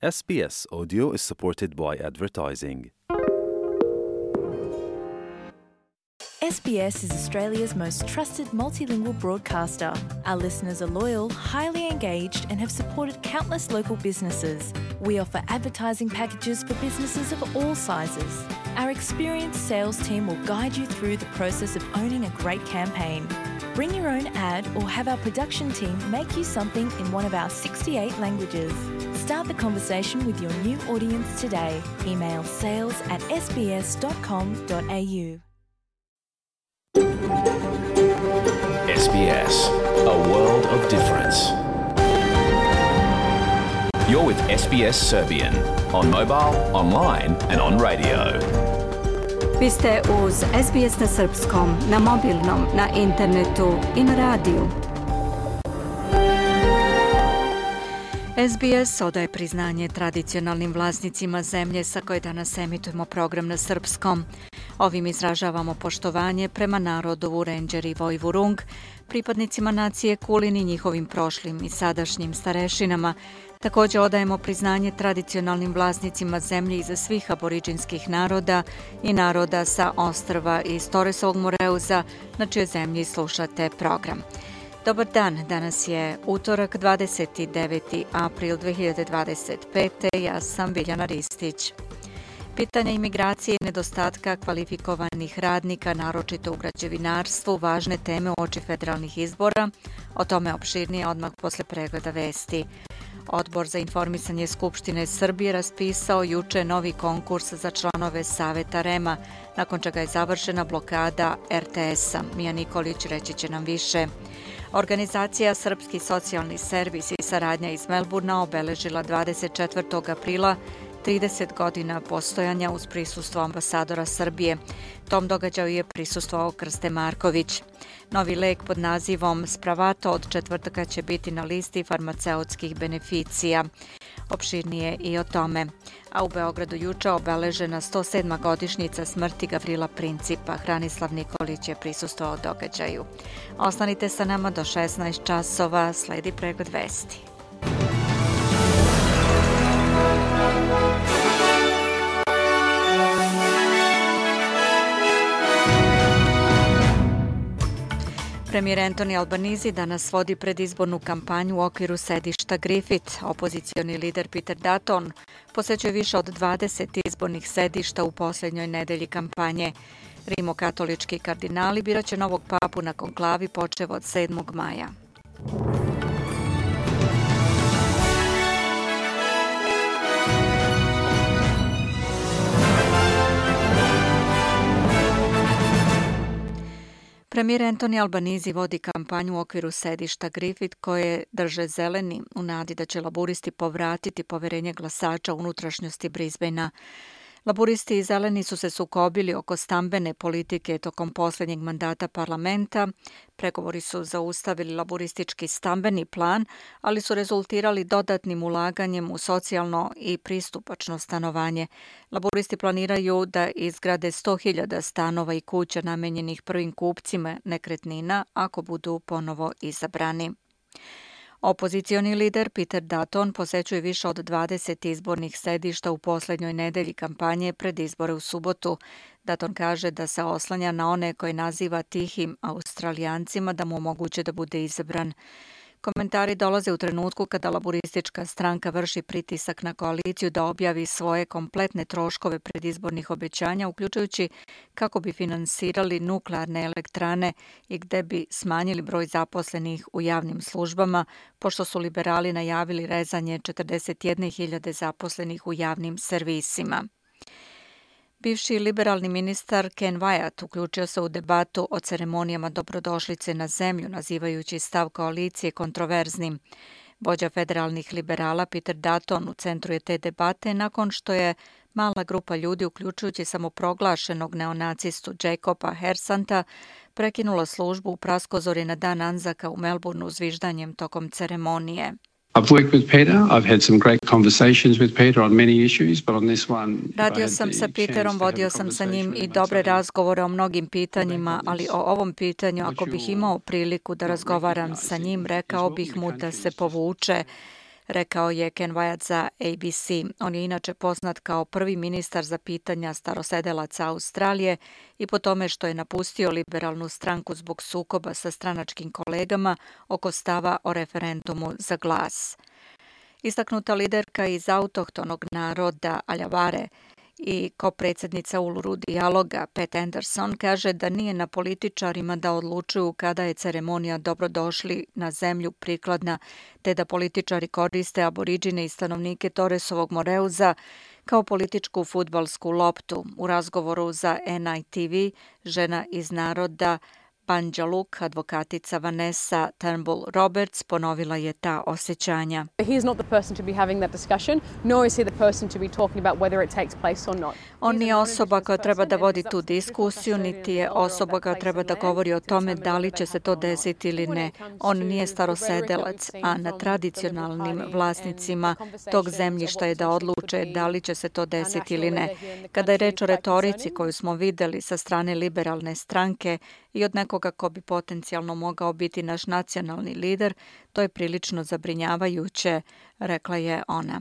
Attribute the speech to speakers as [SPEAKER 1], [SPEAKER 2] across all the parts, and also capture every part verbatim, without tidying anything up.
[SPEAKER 1] S B S Audio is supported by advertising.
[SPEAKER 2] S B S is Australia's most trusted multilingual broadcaster. Our listeners are loyal, highly engaged, and have supported countless local businesses. We offer advertising packages for businesses of all sizes. Our experienced sales team will guide you through the process of owning a great campaign. Bring your own ad or have our production team make you something in one of our sixty-eight languages. Start the conversation with your new audience today. Email sales at s b s dot com dot a u.
[SPEAKER 3] S B S, a world of difference. You're with S B S Serbian, on mobile, online and on radio.
[SPEAKER 4] Vi ste uz S B S na srpskom, na mobilnom, na internetu i na radiju. S B S odaje priznanje tradicionalnim vlasnicima zemlje sa koje danas emitujemo program na srpskom. Ovim izražavamo poštovanje prema narodu Vurenđer i Vojvurung, pripadnicima nacije Kulin i njihovim prošlim i sadašnjim starešinama. Također odajemo priznanje tradicionalnim vlasnicima zemlje iza svih aboriđinskih naroda i naroda sa ostrva iz Toresovog Moreuza, na čijoj zemlji slušate program. Dobar dan, danas je utorak dvadeset deveti april dve hiljade dvadeset pete. Ja sam Biljana Ristić. Pitanja imigracije i nedostatka kvalifikovanih radnika, naročito u građevinarstvu, važne teme uoči federalnih izbora. O tome opširnije odmah posle pregleda vesti. Odbor za informisanje Skupštine Srbije raspisao juče novi konkurs za članove Saveta R E M-a, nakon čega je završena blokada R T S-a. Mija Nikolić reći će nam više. Organizacija Srpski socijalni servis i saradnja iz Melburna obeležila dvadeset četvrtog aprila trideset godina postojanja uz prisustvo ambasadora Srbije. Tom događaju je prisustvovao Krste Marković. Novi lek pod nazivom Spravato od četvrtka će biti na listi farmaceutskih beneficija. Opširnije i o tome. A u Beogradu juče obeležena sto sedma godišnjica smrti Gavrila Principa. Hranislav Nikolić je prisustvovao događaju. Ostanite sa nama do šesnaest časova, sledi pregled vesti. Premijer Anthony Albanese danas vodi predizbornu kampanju u okviru sedišta Griffith. Opozicioni lider Peter Dutton posećuje više od dvadeset izbornih sedišta u posljednjoj nedelji kampanje. Rimokatolički kardinali biraće novog papu na konklavi počev od sedmog maja. Premijer Anthony Albanese vodi kampanju u okviru sedišta Griffith koje drže zeleni u nadi da će laburisti povratiti poverenje glasača u unutrašnjosti Brisbanea. Laburisti i zeleni su se sukobili oko stambene politike tokom posljednjeg mandata parlamenta. Pregovori su zaustavili laburistički stambeni plan, ali su rezultirali dodatnim ulaganjem u socijalno i pristupačno stanovanje. Laburisti planiraju da izgrade sto hiljada stanova i kuća namenjenih prvim kupcima nekretnina ako budu ponovo izabrani. Opozicioni lider Peter Dutton posećuje više od dvadeset izbornih sedišta u posljednjoj nedelji kampanje pred izbore u subotu. Dutton kaže da se oslanja na one koje naziva tihim Australijancima da mu omoguće da bude izabran. Komentari dolaze u trenutku kada laburistička stranka vrši pritisak na koaliciju da objavi svoje kompletne troškove predizbornih obećanja, uključujući kako bi finansirali nuklearne elektrane i gde bi smanjili broj zaposlenih u javnim službama, pošto su liberali najavili rezanje četrdeset jedne hiljade zaposlenih u javnim servisima. Bivši liberalni ministar Ken Wyatt uključio se u debatu o ceremonijama dobrodošlice na zemlju, nazivajući stav koalicije kontroverznim. Vođa federalnih liberala Peter Dutton u centru je te debate nakon što je mala grupa ljudi, uključujući samoproglašenog neonacistu Jacoba Hersanta, prekinula službu u praskozori na dan Anzaka u Melbourneu zviždanjem tokom ceremonije.
[SPEAKER 5] I've worked with Peter. I've had some great conversations with Peter on many issues, but on this one,
[SPEAKER 2] Radio sam sa Peterom, vodio sam sa njim i dobre razgovore o mnogim pitanjima, ali o ovom pitanju, ako bih imao priliku da razgovaram sa njim, rekao bih mu da se povuče.
[SPEAKER 4] rekao je Ken Wyatt za A B C. On je inače poznat kao prvi ministar za pitanja starosedelaca Australije i po tome što je napustio liberalnu stranku zbog sukoba sa stranačkim kolegama oko stava o referendumu za glas. Istaknuta liderka iz autohtonog naroda Aljavare i kopredsjednica Uluru dijaloga Pat Anderson kaže da nije na političarima da odlučuju kada je ceremonija dobrodošli na zemlju prikladna, te da političari koriste aboriđine i stanovnike Torresovog Moreuza kao političku fudbalsku loptu. U razgovoru za N I T V žena iz naroda Banja Luke, advokatica Vanessa Turnbull Roberts, ponovila je ta osjećanja. On nije osoba koja treba da vodi tu diskusiju, niti je osoba koja treba da govori o tome da li će se to desiti ili ne. On nije starosedelac, a na tradicionalnim vlasnicima tog zemljišta je da odluče da li će se to desiti ili ne. Kada je reč o retorici koju smo videli sa strane liberalne stranke i od nekoga ko bi potencijalno mogao biti naš nacionalni lider, to je prilično zabrinjavajuće, rekla je ona.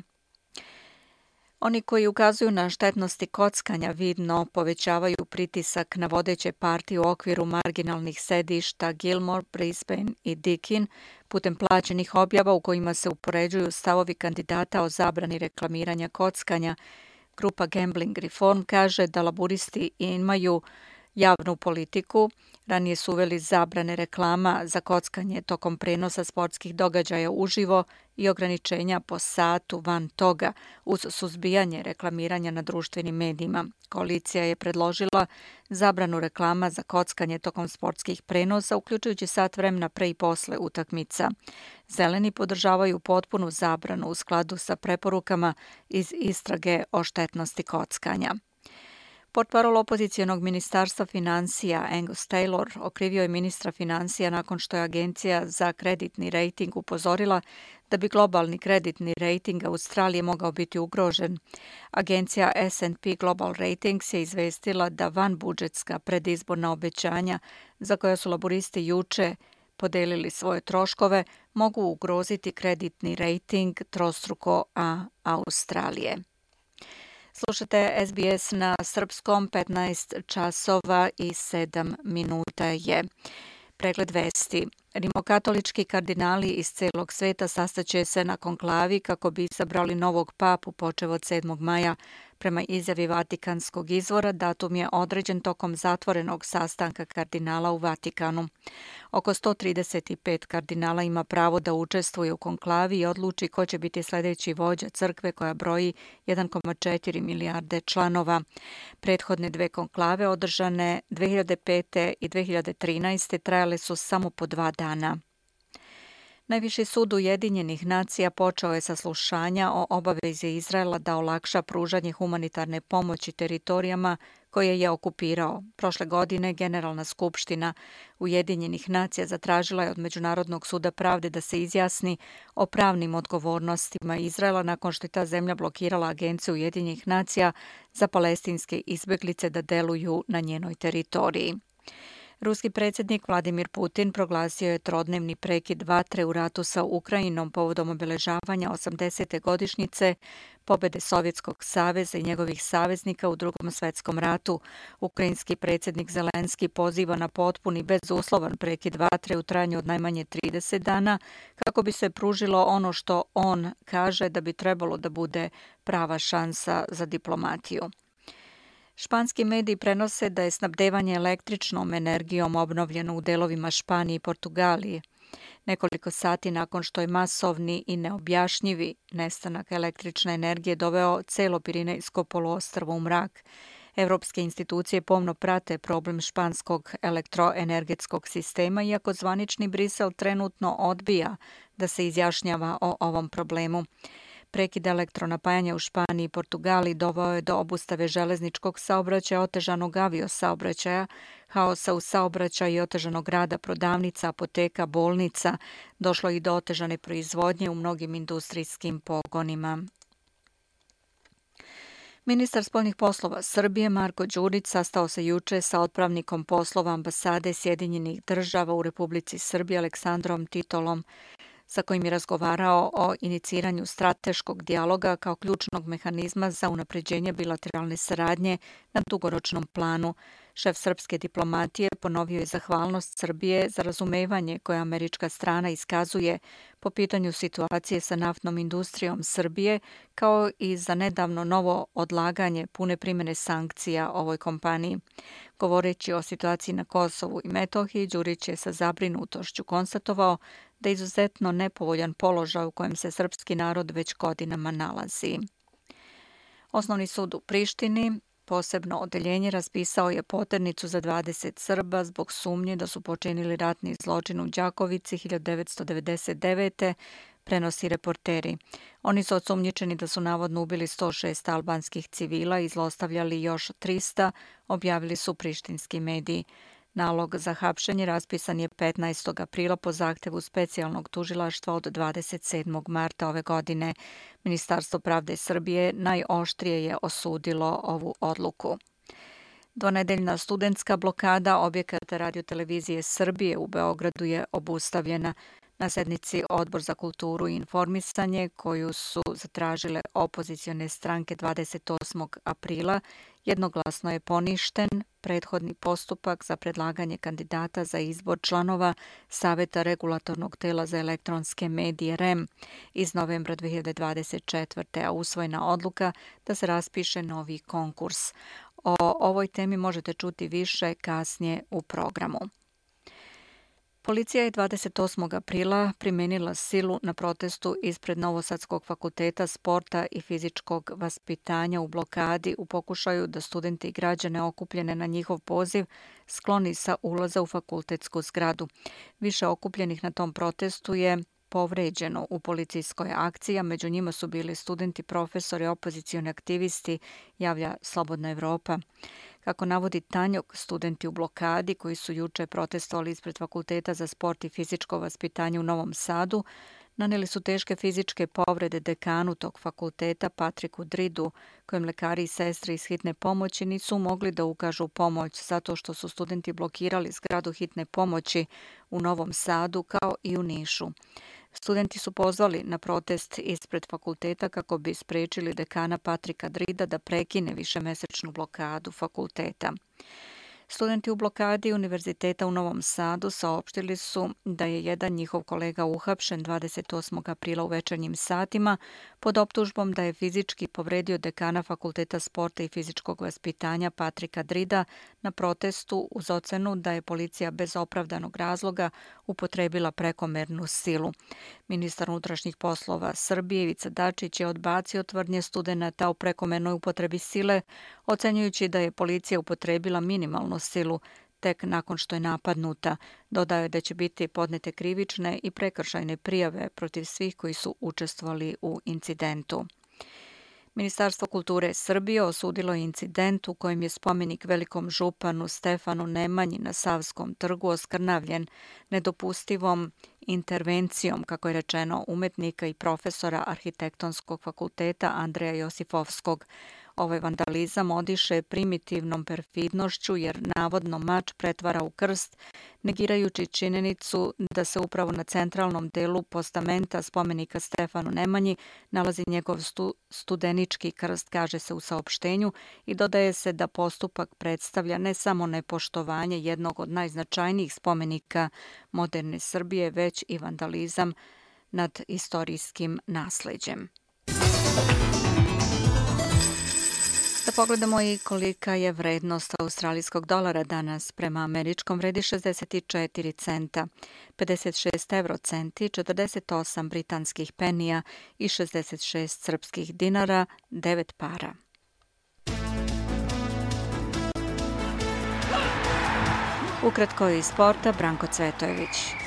[SPEAKER 4] Oni koji ukazuju na štetnosti kockanja vidno povećavaju pritisak na vodeće partije u okviru marginalnih sedišta Gilmore, Brisbane i Deakin putem plaćenih objava u kojima se upoređuju stavovi kandidata o zabrani reklamiranja kockanja. Grupa Gambling Reform kaže da laburisti imaju javnu politiku. Ranije su uveli zabrane reklama za kockanje tokom prenosa sportskih događaja uživo i ograničenja po satu van toga uz suzbijanje reklamiranja na društvenim medijima. Koalicija je predložila zabranu reklama za kockanje tokom sportskih prenosa, uključujući sat vremena pre i posle utakmica. Zeleni podržavaju potpunu zabranu u skladu sa preporukama iz istrage o štetnosti kockanja. Portparol opozicijonog ministarstva financija Angus Taylor okrivio je ministra financija nakon što je Agencija za kreditni rejting upozorila da bi globalni kreditni rejting Australije mogao biti ugrožen. Agencija S and P Global Ratings je izvestila da vanbudžetska predizborna obećanja za koja su laburisti juče podelili svoje troškove mogu ugroziti kreditni rejting trostruko A Australije. Slušate S B S na srpskom, petnaest časova i sedam minuta je. Pregled vesti. Rimokatolički kardinali iz celog sveta sastaće se na konklavi kako bi izabrali novog papu počev od sedmog maja. Prema izjavi Vatikanskog izvora, datum je određen tokom zatvorenog sastanka kardinala u Vatikanu. Oko sto trideset pet kardinala ima pravo da učestvuje u konklavi i odluči ko će biti sljedeći vođa crkve koja broji jedan zarez četiri milijarde članova. Prethodne dve konklave održane dve hiljade pete i dve hiljade trinaeste trajale su samo po dva dana. Najviši sud Ujedinjenih nacija počeo je saslušanja o obavezi Izraela da olakša pružanje humanitarne pomoći teritorijama koje je okupirao. Prošle godine Generalna skupština Ujedinjenih nacija zatražila je od Međunarodnog suda pravde da se izjasni o pravnim odgovornostima Izraela nakon što je ta zemlja blokirala Agenciju Ujedinjenih nacija za palestinske izbjeglice da deluju na njenoj teritoriji. Ruski predsjednik Vladimir Putin proglasio je trodnevni prekid vatre u ratu sa Ukrajinom povodom obeležavanja osamdesete godišnjice pobjede Sovjetskog saveza i njegovih saveznika u Drugom svjetskom ratu. Ukrajinski predsjednik Zelenski poziva na potpuni bezuslovan prekid vatre u trajanju od najmanje trideset dana kako bi se pružilo ono što on kaže da bi trebalo da bude prava šansa za diplomatiju. Španski mediji prenose da je snabdevanje električnom energijom obnovljeno u delovima Španije i Portugalije. Nekoliko sati nakon što je masovni i neobjašnjivi nestanak električne energije doveo celo Pirinejsko poluostrvo u mrak. Evropske institucije pomno prate problem španskog elektroenergetskog sistema, iako zvanični Brisel trenutno odbija da se izjašnjava o ovom problemu. Prekid elektronapajanja u Španiji i Portugaliji doveo je do obustave železničkog saobraćaja, otežanog aviosaobraćaja, haosa u saobraćaju i otežanog rada prodavnica, apoteka, bolnica. Došlo i do otežane proizvodnje u mnogim industrijskim pogonima. Ministar spoljnih poslova Srbije Marko Đurić sastao se juče sa otpravnikom poslova ambasade Sjedinjenih država u Republici Srbiji Aleksandrom Titolom. sa kojim je razgovarao o iniciranju strateškog dijaloga kao ključnog mehanizma za unapređenje bilateralne saradnje na dugoročnom planu. Šef srpske diplomatije ponovio je zahvalnost Srbije za razumevanje koje američka strana iskazuje po pitanju situacije sa naftnom industrijom Srbije, kao i za nedavno novo odlaganje pune primjene sankcija ovoj kompaniji. Govoreći o situaciji na Kosovu i Metohiji, Đurić je sa zabrinutošću konstatovao da je izuzetno nepovoljan položaj u kojem se srpski narod već godinama nalazi. Osnovni sud u Prištini posebno odeljenje raspisao je poternicu za dvadeset Srba zbog sumnje da su počinili ratni zločin u Đakovici hiljadu devetsto devedeset devete. prenosi reporteri. Oni su osumnjičeni da su navodno ubili sto šest albanskih civila i zlostavljali još trista, objavili su prištinski mediji. Nalog za hapšenje raspisan je petnaestog aprila po zahtevu specijalnog tužilaštva od dvadeset sedmog marta ove godine. Ministarstvo pravde Srbije najoštrije je osudilo ovu odluku. Dvonedeljna studentska blokada objekata radiotelevizije Srbije u Beogradu je obustavljena. Na sednici Odbor za kulturu i informisanje, koju su zatražile opozicione stranke dvadeset osmog aprila, jednoglasno je poništen prethodni postupak za predlaganje kandidata za izbor članova Saveta regulatornog tela za elektronske medije R E M iz novembra dve hiljade dvadeset četvrte. a usvojena odluka da se raspiše novi konkurs. O ovoj temi možete čuti više kasnije u programu. Policija je dvadeset osmog aprila primenila silu na protestu ispred Novosadskog fakulteta sporta i fizičkog vaspitanja u blokadi u pokušaju da studenti i građane okupljene na njihov poziv skloni sa ulaza u fakultetsku zgradu. Više okupljenih na tom protestu je povređeno u policijskoj akciji, a među njima su bili studenti, profesori, opozicioni aktivisti, javlja Slobodna Evropa. Kako navodi Tanjog, studenti u blokadi koji su juče protestovali ispred Fakulteta za sport i fizičko vaspitanje u Novom Sadu, naneli su teške fizičke povrede dekanu tog fakulteta Patriku Dridu, kojem lekari i sestre iz hitne pomoći nisu mogli da ukažu pomoć zato što su studenti blokirali zgradu hitne pomoći u Novom Sadu kao i u Nišu. Studenti su pozvali na protest ispred fakulteta kako bi sprečili dekana Patrika Drida da prekine višemesečnu blokadu fakulteta. Studenti u blokadi Univerziteta u Novom Sadu saopštili su da je jedan njihov kolega uhapšen dvadeset osmog aprila u večernjim satima pod optužbom da je fizički povredio dekana Fakulteta sporta i fizičkog vaspitanja Patrika Drida na protestu uz ocenu da je policija bez opravdanog razloga upotrebila prekomernu silu. Ministar unutrašnjih poslova Srbije Ivica Dačić je odbacio tvrdnje studenata o prekomernoj upotrebi sile, ocenjujući da je policija upotrebila minimalnu silu tek nakon što je napadnuta. Dodao je da će biti podnete krivične i prekršajne prijave protiv svih koji su učestvovali u incidentu. Ministarstvo kulture Srbije osudilo je incident u kojem je spomenik velikom županu Stefanu Nemanji na Savskom trgu oskrnavljen nedopustivom intervencijom, kako je rečeno, umetnika i profesora Arhitektonskog fakulteta Andreja Josifovskog. Ovaj vandalizam odiše primitivnom perfidnošću jer navodno mač pretvara u krst, negirajući činjenicu da se upravo na centralnom delu postamenta spomenika Stefanu Nemanji nalazi njegov stu, studenički krst, kaže se u saopštenju, i dodaje se da postupak predstavlja ne samo nepoštovanje jednog od najznačajnijih spomenika moderne Srbije, već i vandalizam nad istorijskim nasleđem. Da pogledamo i kolika je vrednost australijskog dolara danas. Prema američkom vredi šezdeset četiri centa, pedeset šest evrocenti, četrdeset osam britanskih penija i šezdeset šest srpskih dinara, devet para. Ukratko iz sporta, Branko Cvetojević.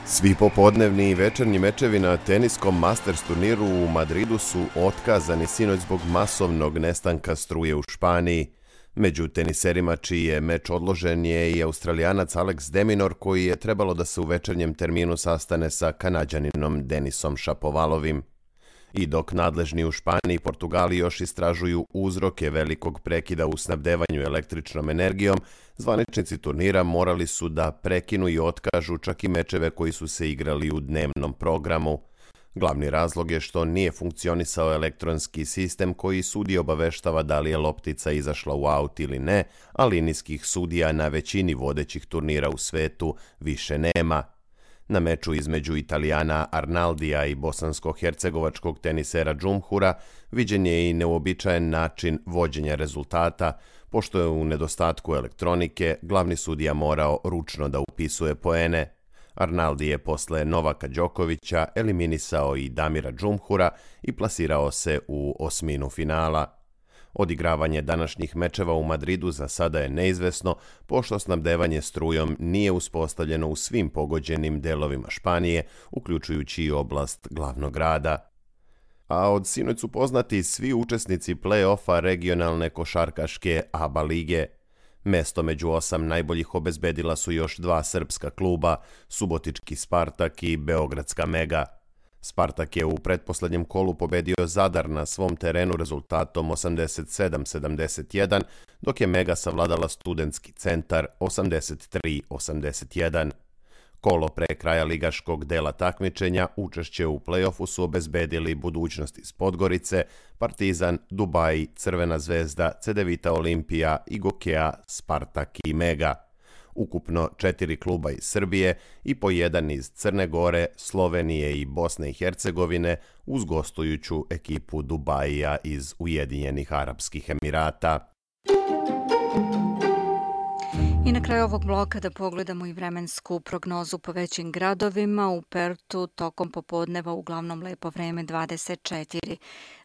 [SPEAKER 6] Svi popodnevni i večernji mečevi na teniskom Masters turniru u Madridu su otkazani sinoć zbog masovnog nestanka struje u Španiji. Među teniserima čiji je meč odložen je i Australijanac Alex de Minaur, koji je trebalo da se u večernjem terminu sastane sa Kanađaninom Denisom Šapovalovim. I dok nadležni u Španiji i Portugaliji još istražuju uzroke velikog prekida u snabdevanju električnom energijom, zvaničnici turnira morali su da prekinu i otkažu čak i mečeve koji su se igrali u dnevnom programu. Glavni razlog je što nije funkcionisao elektronski sistem koji sudije obaveštava da li je loptica izašla u aut ili ne, a linijskih sudija na većini vodećih turnira u svetu više nema. Na meču između Italijana Arnaldija i bosansko-hercegovačkog tenisera Džumhura viđen je i neuobičajen način vođenja rezultata, pošto je u nedostatku elektronike glavni sudija morao ručno da upisuje poene. Arnaldi je posle Novaka Đokovića eliminisao i Damira Džumhura i plasirao se u osminu finala. Odigravanje današnjih mečeva u Madridu za sada je neizvesno, pošto snabdevanje strujom nije uspostavljeno u svim pogođenim delovima Španije, uključujući i oblast glavnog grada. A od sinoć su poznati svi učesnici play-offa regionalne košarkaške A B A lige. Mesto među osam najboljih obezbedila su još dva srpska kluba, subotički Spartak i beogradska Mega. Spartak je u pretposlednjem kolu pobedio Zadar na svom terenu rezultatom osamdeset sedam sedamdeset jedan, dok je Mega savladala Studentski centar osamdeset tri osamdeset jedan. Kolo pre kraja ligaškog dela takmičenja učešće u play-offu su obezbedili Budućnost iz Podgorice, Partizan, Dubaji, Crvena zvezda, Cedevita Olimpija, Igokea, Spartak i Mega. Ukupno četiri kluba iz Srbije i po jedan iz Crne Gore, Slovenije i Bosne i Hercegovine uz gostujuću ekipu Dubajija iz Ujedinjenih Arapskih Emirata.
[SPEAKER 4] I na kraju ovog bloka da pogledamo i vremensku prognozu po većim gradovima. U Pertu tokom popodneva uglavnom lepo vreme dvadeset četiri.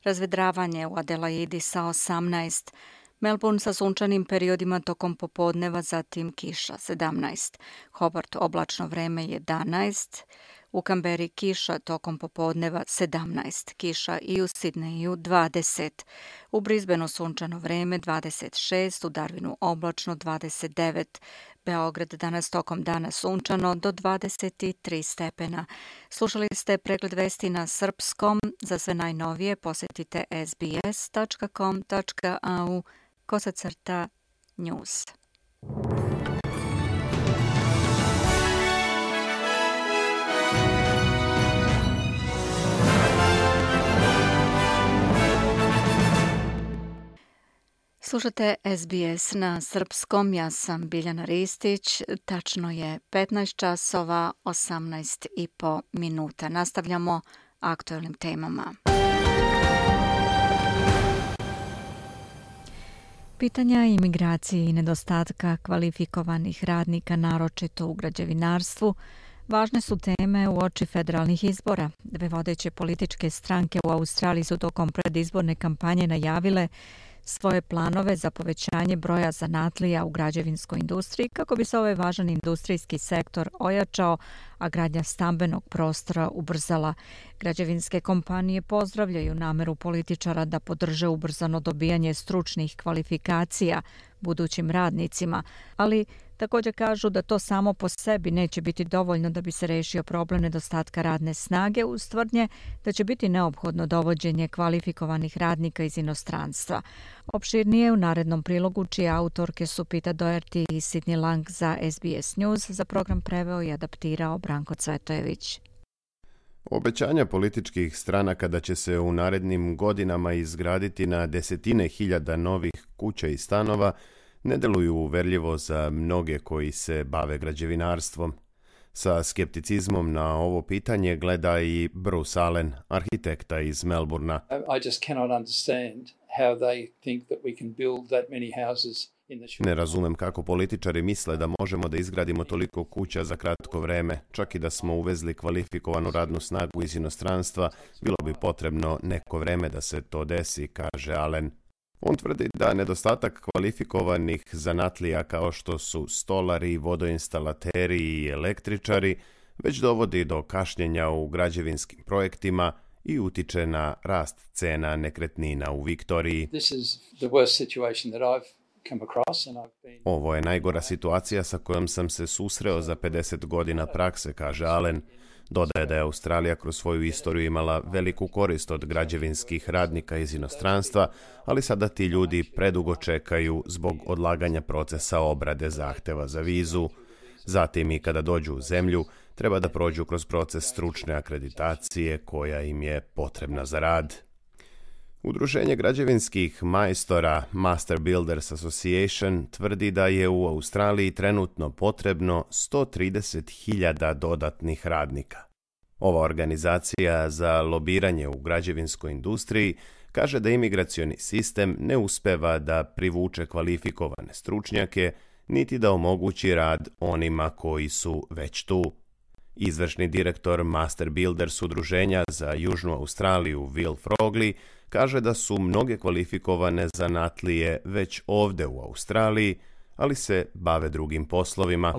[SPEAKER 4] Razvedravanje u Adelaidi sa osamnaest. Melbourne sa sunčanim periodima tokom popodneva, zatim kiša sedamnaest. Hobart oblačno vreme jedanaest. U Kamberi kiša tokom popodneva sedamnaest. Kiša i u Sidneju dvadeset. U Brisbaneu sunčano vreme dvadeset šest. U Darwinu oblačno dvadeset devet. Beograd danas tokom dana sunčano do dvadeset tri stepena. Slušali ste pregled vesti na srpskom. Za sve najnovije posetite s b s tačka com tačka a u kosacrta news. Slušate S B S na srpskom, ja sam Biljana Ristić, tačno je petnaest časova, osamnaest i po minuta. Nastavljamo aktuelnim temama. Pitanja imigracije i nedostatka kvalifikovanih radnika, naročito u građevinarstvu, važne su teme uoči federalnih izbora. Dve vodeće političke stranke u Australiji su tokom predizborne kampanje najavile svoje planove za povećanje broja zanatlija u građevinskoj industriji kako bi se ovaj važan industrijski sektor ojačao, a gradnja stambenog prostora ubrzala. Građevinske kompanije pozdravljaju nameru političara da podrže ubrzano dobijanje stručnih kvalifikacija budućim radnicima, ali također kažu da to samo po sebi neće biti dovoljno da bi se rešio problem nedostatka radne snage, uz tvrdnje da će biti neophodno dovođenje kvalifikovanih radnika iz inostranstva. Opširnije u narednom prilogu, čije autorke su Pita Doherty i Sidney Lang za S B S News. Za program preveo i adaptirao Branko Cvetojević.
[SPEAKER 6] Obećanja političkih stranaka da će se u narednim godinama izgraditi na desetine hiljada novih kuća i stanova ne deluju uverljivo za mnoge koji se bave građevinarstvom. Sa skepticizmom na ovo pitanje gleda i Bruce Allen, arhitekta iz Melbournea.
[SPEAKER 7] I just cannot understand how they think that we can build that many houses.
[SPEAKER 6] Ne razumem kako političari misle da možemo da izgradimo toliko kuća za kratko vreme. Čak i da smo uvezli kvalifikovanu radnu snagu iz inostranstva, bilo bi potrebno neko vreme da se to desi, kaže Allen. On tvrdi da nedostatak kvalifikovanih zanatlija kao što su stolari, vodoinstalateri i električari već dovodi do kašnjenja u građevinskim projektima i utiče na rast cena nekretnina u Viktoriji.
[SPEAKER 7] This is the worst situation that I've
[SPEAKER 6] Ovo je najgora situacija sa kojom sam se susreo za pedeset godina prakse, kaže Allen. Dodaje da je Australija kroz svoju istoriju imala veliku korist od građevinskih radnika iz inostranstva, ali sada ti ljudi predugo čekaju zbog odlaganja procesa obrade zahteva za vizu. Zatim i kada dođu u zemlju, treba da prođu kroz proces stručne akreditacije koja im je potrebna za rad. Udruženje građevinskih majstora Master Builders Association tvrdi da je u Australiji trenutno potrebno sto trideset hiljada dodatnih radnika. Ova organizacija za lobiranje u građevinskoj industriji kaže da imigracioni sistem ne uspeva da privuče kvalifikovane stručnjake, niti da omogući rad onima koji su već tu. Izvršni direktor Master Builders udruženja za Južnu Australiju Will Frogley kaže da su mnoge kvalifikovane zanatlije već ovde u Australiji, ali se bave drugim poslovima.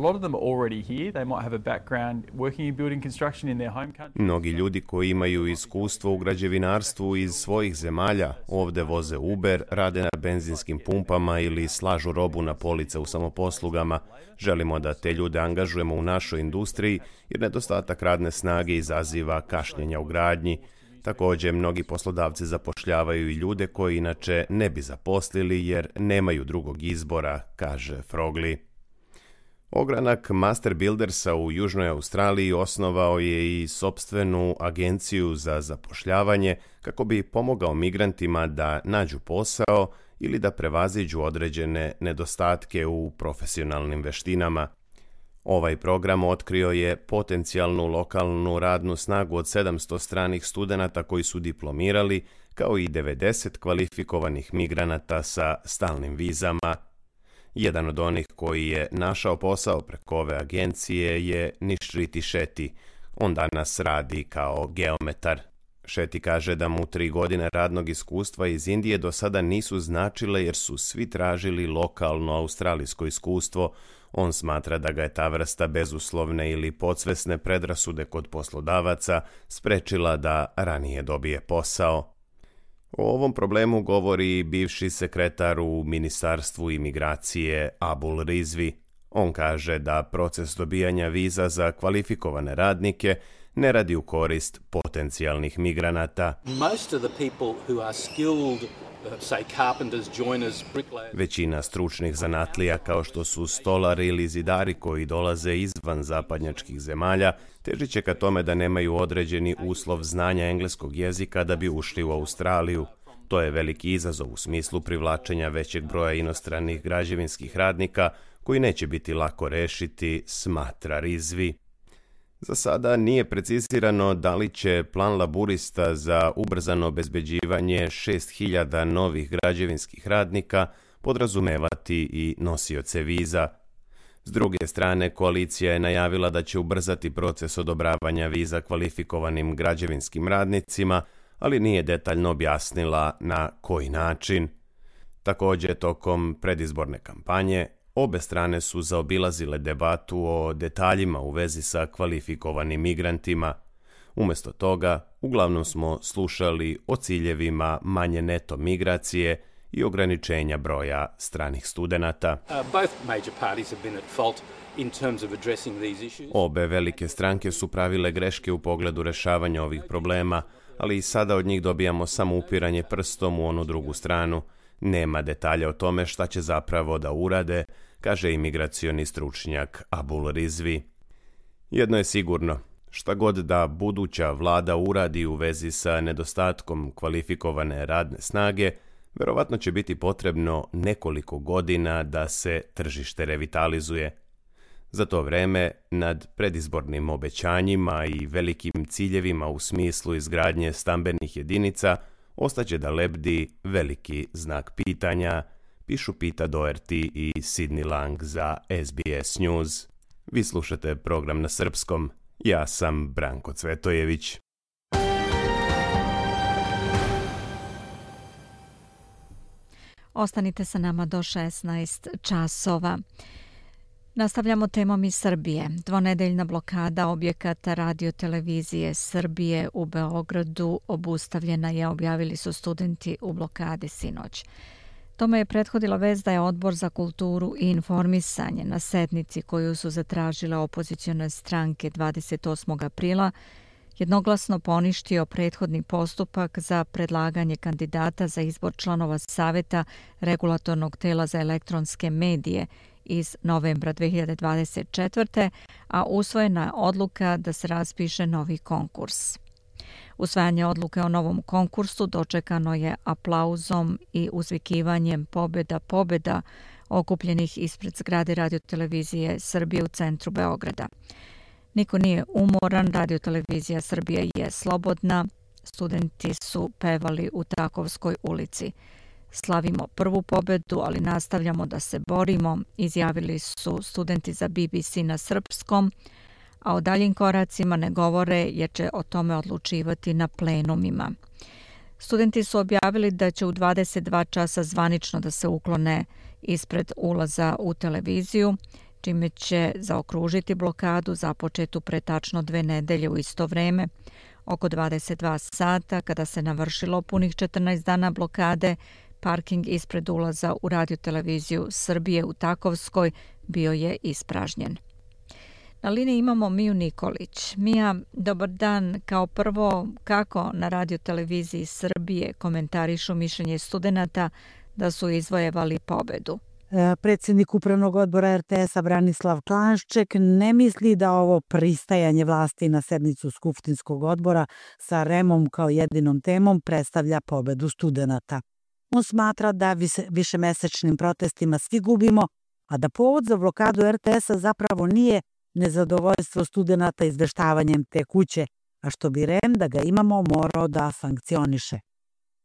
[SPEAKER 6] Mnogi ljudi koji imaju iskustvo u građevinarstvu iz svojih zemalja ovde voze Uber, rade na benzinskim pumpama ili slažu robu na police u samoposlugama. Želimo da te ljude angažujemo u našoj industriji jer nedostatak radne snage izaziva kašnjenja u gradnji. Također, mnogi poslodavci zapošljavaju i ljude koji inače ne bi zaposlili jer nemaju drugog izbora, kaže Frogley. Ogranak Master Buildersa u Južnoj Australiji osnovao je i sopstvenu agenciju za zapošljavanje kako bi pomogao migrantima da nađu posao ili da prevaziđu određene nedostatke u profesionalnim veštinama. Ovaj program otkrio je potencijalnu lokalnu radnu snagu od sedamsto stranih studenata koji su diplomirali, kao i devedeset kvalifikovanih migranata sa stalnim vizama. Jedan od onih koji je našao posao preko ove agencije je Nishriti Shetty. On danas radi kao geometar. Shetty kaže da mu tri godine radnog iskustva iz Indije do sada nisu značile jer su svi tražili lokalno australijsko iskustvo. On smatra da ga je ta vrsta bezuslovne ili podsvesne predrasude kod poslodavaca sprečila da ranije dobije posao. O ovom problemu govori bivši sekretar u Ministarstvu imigracije Abul Rizvi. On kaže da proces dobijanja viza za kvalifikovane radnike ne radi u korist potencijalnih migranata.
[SPEAKER 8] Most of the people who are skilled, say carpenters, joiners, bricklayers.
[SPEAKER 6] Većina stručnih zanatlija kao što su stolari ili zidari koji dolaze izvan zapadnjačkih zemalja težit će ka tome da nemaju određeni uslov znanja engleskog jezika da bi ušli u Australiju. To je veliki izazov u smislu privlačenja većeg broja inostranih građevinskih radnika koji neće biti lako rešiti, smatra Rizvi. Za sada nije precizirano da li će plan laburista za ubrzano obezbeđivanje šest hiljada novih građevinskih radnika podrazumevati i nosioce viza. S druge strane, koalicija je najavila da će ubrzati proces odobravanja viza kvalifikovanim građevinskim radnicima, ali nije detaljno objasnila na koji način. Također, tokom predizborne kampanje, obe strane su zaobilazile debatu o detaljima u vezi sa kvalifikovanim migrantima. Umjesto toga, uglavnom smo slušali o ciljevima manje neto migracije i ograničenja broja stranih studenata. Obe velike stranke su pravile greške u pogledu rešavanja ovih problema, ali i sada od njih dobijamo samo upiranje prstom u onu drugu stranu. Nema detalja o tome šta će zapravo da urade, kaže imigracioni stručnjak Abul Rizvi. Jedno je sigurno, šta god da buduća vlada uradi u vezi sa nedostatkom kvalifikovane radne snage, verovatno će biti potrebno nekoliko godina da se tržište revitalizuje. Za to vreme, nad predizbornim obećanjima i velikim ciljevima u smislu izgradnje stambenih jedinica, ostaće da lebdi veliki znak pitanja, pišu Pita Doherty i Sidney Lang za S B S News. Vi slušate program na srpskom, ja sam Branko Cvetojević.
[SPEAKER 4] Ostanite sa nama do šesnaest časova. Nastavljamo temom iz Srbije. Dvonedeljna blokada objekata radio-televizije Srbije u Beogradu obustavljena je, objavili su studenti u blokadi sinoć. Tome je prethodila vest da je Odbor za kulturu i informisanje na sednici koju su zatražile opozicione stranke dvadeset osmog aprila jednoglasno poništio prethodni postupak za predlaganje kandidata za izbor članova Saveta Regulatornog tela za elektronske medije iz novembra dve hiljade dvadeset četvrte. a usvojena je odluka da se raspiše novi konkurs. Usvajanje odluke o novom konkursu dočekano je aplauzom i uzvikivanjem pobjeda, pobjeda okupljenih ispred zgrade Radiotelevizije Srbije u centru Beograda. Niko nije umoran, Radiotelevizija Srbije je slobodna, studenti su pevali u Takovskoj ulici. Slavimo prvu pobjedu, ali nastavljamo da se borimo, izjavili su studenti za B B C na srpskom, a o daljim koracima ne govore jer će o tome odlučivati na plenumima. Studenti su objavili da će u dvadeset dva časa zvanično da se uklone ispred ulaza u televiziju, čime će zaokružiti blokadu započetu pre tačno dve nedelje u isto vreme. Oko dvadeset dva sata, kada se navršilo punih četrnaest dana blokade, parking ispred ulaza u Radioteleviziju Srbije u Takovskoj bio je ispražnjen. Na liniji imamo Miju Nikolić. Mija, dobar dan. Kao prvo, kako na Radioteleviziji Srbije komentarišu mišljenje studenata da su izvojevali pobedu?
[SPEAKER 9] Predsjednik Upravnog odbora R T S-a Branislav Klanšček ne misli da ovo pristajanje vlasti na sednicu Skupštinskog odbora sa R E M-om kao jedinom temom predstavlja pobedu studenata. On smatra da višemesečnim protestima svi gubimo, a da povod za blokadu R T S-a zapravo nije nezadovoljstvo studenata izveštavanjem te kuće, a što bi R E M, da ga imamo, morao da sankcioniše.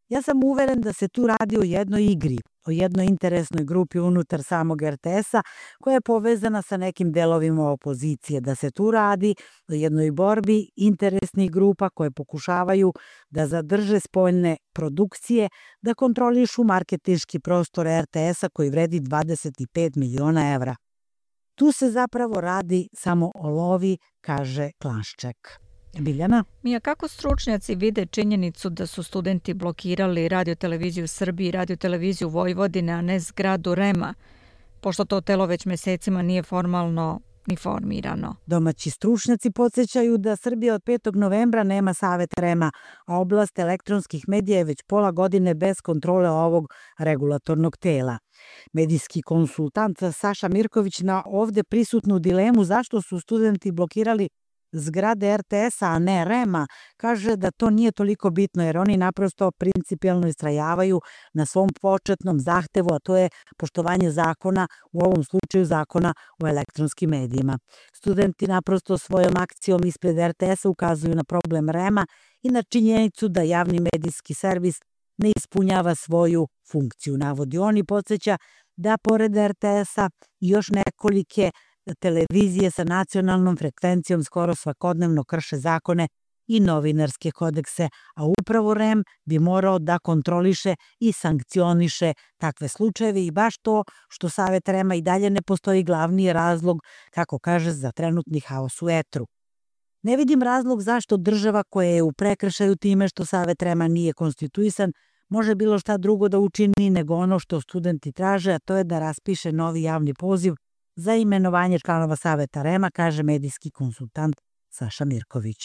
[SPEAKER 9] Ja sam uveren da se tu radi o jednoj igri, o jednoj interesnoj grupi unutar samog R T S-a koja je povezana sa nekim delovima opozicije, da se tu radi o jednoj borbi interesnih grupa koje pokušavaju da zadrže spoljne produkcije, da kontrolišu marketinški prostor R T S-a koji vredi dvadeset pet miliona evra. Tu se zapravo radi samo o lovi, kaže Klanšček. Biljana?
[SPEAKER 4] Mija, kako stručnjaci vide činjenicu da su studenti blokirali Radioteleviziju Srbije i Radioteleviziju Vojvodine, a ne zgradu R E M-a, pošto to telo već mesecima nije formalno ni formirano?
[SPEAKER 9] Domaći stručnjaci podsjećaju da Srbija od petog novembra nema savet R E M-a, a oblast elektronskih medija je već pola godine bez kontrole ovog regulatornog tela. Medijski konsultant Saša Mirković na ovde prisutnu dilemu zašto su studenti blokirali zgrade R T S-a, a ne R E M-a, kaže da to nije toliko bitno jer oni naprosto principijelno istrajavaju na svom početnom zahtevu, a to je poštovanje zakona, u ovom slučaju zakona o elektronskim medijima. Studenti naprosto svojom akcijom ispred R T S-a ukazuju na problem R E M-a i na činjenicu da javni medijski servis ne ispunjava svoju funkciju. Navodi on i podsjeća da pored R T S-a još nekolike televizije sa nacionalnom frekvencijom skoro svakodnevno krše zakone i novinarske kodekse, a upravo R E M bi morao da kontroliše i sankcioniše takve slučajeve i baš to što Savet R E M-a i dalje ne postoji glavni je razlog, kako kaže, za trenutni haos u etru. Ne vidim razlog zašto država koja je u prekršaju time što Savet R E M-a nije konstituisan može bilo šta drugo da učini nego ono što studenti traže, a to je da raspiše novi javni poziv za imenovanje članova Saveta R E M-a, kaže medijski konsultant Saša Mirković.